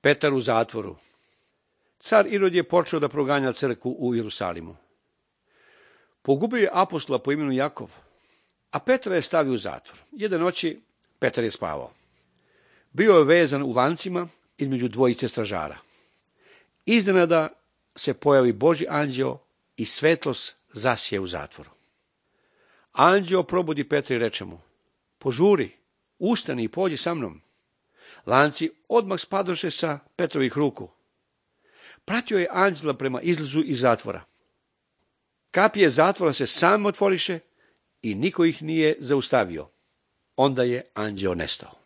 Petar u zatvoru. Car Irod je počeo da proganja crkvu u Jerusalimu. Pogubio je apostola po imenu Jakov, a Petra je stavio u zatvor. Jedne noći Petar je spavao. Bio je vezan u lancima između dvojice stražara. Iznenada se pojavi Božji anđeo i svetlost zasije u zatvoru. Anđeo probudi Petra i reče mu: požuri, ustani i pođi sa mnom. Lanci odmah spadoše sa Petrovih ruku. Pratio je anđela prema izlazu iz zatvora. Kapije zatvora se same otvoriše i niko ih nije zaustavio. Onda je anđeo nestao.